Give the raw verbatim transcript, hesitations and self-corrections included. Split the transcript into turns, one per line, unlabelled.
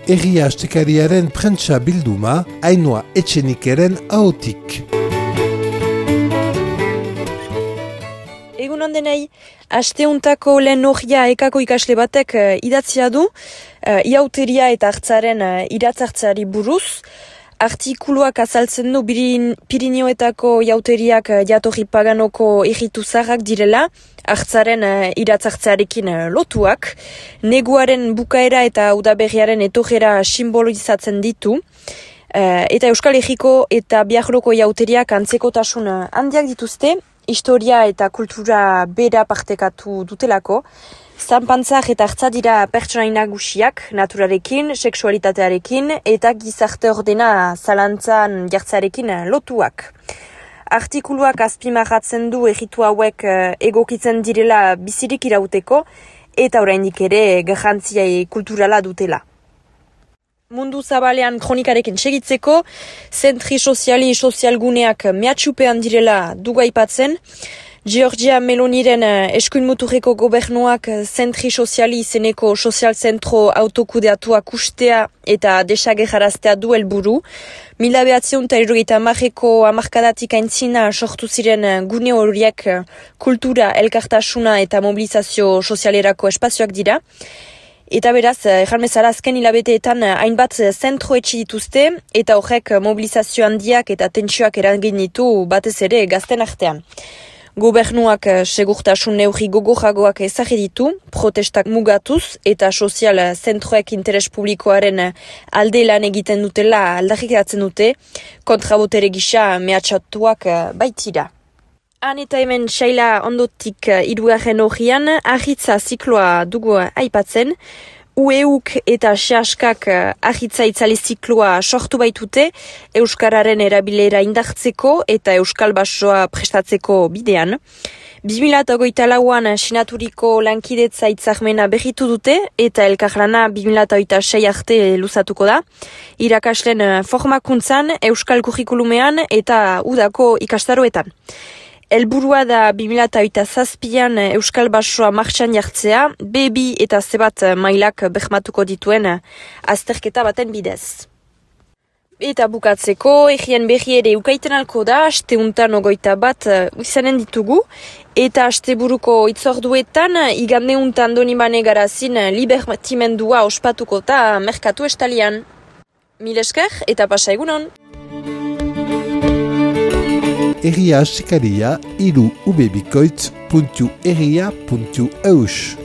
Herria Astekariaren prentsa bilduma, Ainhoa Etxenikeren ahotik.
Egun ondenei, asteuntako lehen horria ekako ikasle batek uh, idatzia du, uh, iauteria eta hartzaren uh, iratzartzeari buruz. Artikuluak azaltzen du Birin, Pirinioetako iauteriak uh, jatorri paganoko egitu zaharrak direla, hartzaren uh, iratzartzearekin uh, lotuak, neguaren bukaera eta udaberriaren etorrera simbolizatzen ditu, uh, eta Euskal Herriko eta Biarroko iauteriak antzekotasun uh, handiak dituzte, historia eta kultura bera partekatu dutelako, zanpantzak eta hartza dira pertsonai nagusiak, naturarekin, sexualitatearekin eta gizarte ordena zalantzan jartzearekin lotuak. Artikuluak azpimarratzen du egitu hauek egokitzen direla bizirik irauteko eta oraindik ere garrantzia kulturala dutela. Mundu zabalean kronikarekin segitzeko, zentri soziali sozialguneak mehatxupean direla dugu aipatzen. Giorgia Meloniren eskuin muturreko gobernuak zentri soziali izeneko sozial zentro autokudeatuak ustea eta desagerraraztea du helburu. Mila behatziehun eta hirurogeita hamareko hamarkadatik aintzina sortu ziren gune horiek kultura, elkartasuna eta mobilizazio sozialerako espazioak dira. Eta beraz, erran bezala azken hilabeteetan hainbat zentro etxi dituzte eta horrek mobilizazio handiak eta tentsioak eragin ditu batez ere gazten artean. Gobernuak segurtasun neurri gogorragoak ezarri ditu, protestak mugatuz eta sozial zentroek interes publikoaren alde lan egiten dutela aldarrikatzen dute, kontrabotere gisa mehatxatuak baitira. Han eta hemen Shaila ondotik hirugarren horrian, ahitza zikloa dugu aipatzen, U E U K eta Sehaskak ahitza itzali zikloa sortu baitute, Euskararen erabilera indartzeko eta Euskal Basoa prestatzeko bidean. bi mila hogeita lauan sinaturiko lankidetza hitzarmena berritu dute eta elkarlana bi mila hogeita sei arte luzatuko da. Irakasleen formakuntzan, Euskal kurrikulumean eta udako ikastaroetan. Helburua da bi mila hogeita zazpian Euskal Basoa martxan jartzea, B bi eta C bat mailak bermatuko dituen azterketa baten bidez. Eta bukatzeko, egien berri ere ukaiten alko da, asteuntan ogoita bat izanen ditugu, eta asteburuko itzorduetan, igandeuntan Donibane Garazin libertimendua ospatuko eta merkatu estalian. Mil esker eta pasa egunon!
Herria Astekaria hiru ubebikoitz puntu herria puntu eus.